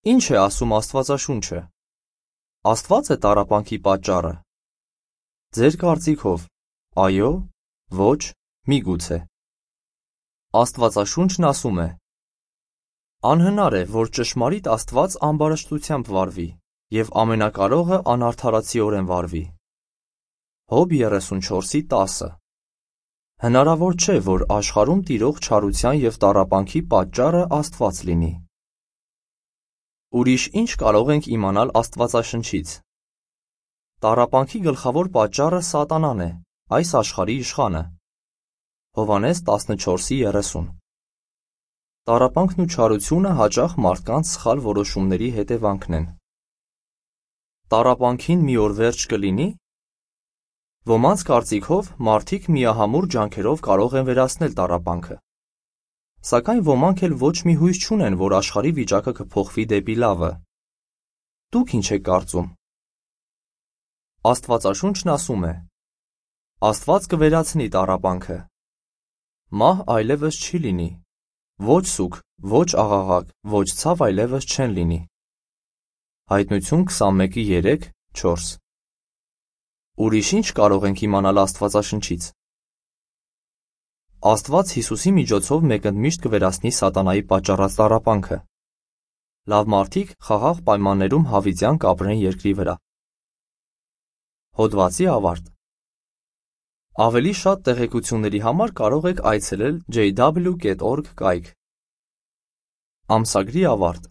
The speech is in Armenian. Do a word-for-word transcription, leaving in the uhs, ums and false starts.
Ինչ է ասում Աստվածաշունչը։ Աստված է տառապանքի պատճառը։ Ձեր կարծիքով, այո, ոչ, միգուցե։ Աստվածաշունչն ասում է. անհնար է, որ ճշմարիտ Աստված ամբարշտությամբ վարվի, և ամենակարողը անարդարացիորեն վարվի։ Հոբ երեսունչորսի տասը Հնարավոր չէ, որ աշխարհում տիրող չարության և տառապանքի պատճառը Աստված լինի։ Ուրիշ ինչ կարող ենք իմանալ Աստվածաշնչից։ Տառապանքի գլխավոր պատճառը Սատանան է, այս աշխարհի իշխանը։ Հովհաննես տասնչորսի երեսուն Տառապանքն ու չարությունը հաճախ մարդկանց սխալ որոշումների հետևանքն են։ Տառապանքին մի օր վերջ կլինի։ Ոմանց կարծիքով մարդիկ միահամուռ ջանքերով կարող են վերացնել տառապանքը։ Սակայն ոմանք էլ ոչ մի հույս չունեն, որ աշխարհի վիճակը կփոխվի դեպի լավը։ Դուք ինչ եք կարծում։ Աստվածաշունչն ասում է. Աստված կվերացնի տառապանքը։ Մահ այլևս չի լինի։ Ոչ սուգ, ոչ աղաղակ, ոչ ցավ այլևս չեն լինի։ Հայտնություն քսանմեկի երեք չորս Ուրիշ ինչ կարող ենք իմանալ Աստվածաշնչից։ Աստված Հիսուսի միջոցով մեկընդմիշտ կվերացնի սատանայի պատճառած տառապանքը։ Լավ մարդիկ խաղաղ պայմաններում հավիտյան կապրեն երկրի վրա։ Հոդվացի ավարտ Ավելի շատ տեղեկությունների համար կարող եք այցելել ջեյ դաբլյու կետ օրգ կայք։ Ամսագրի ավարտ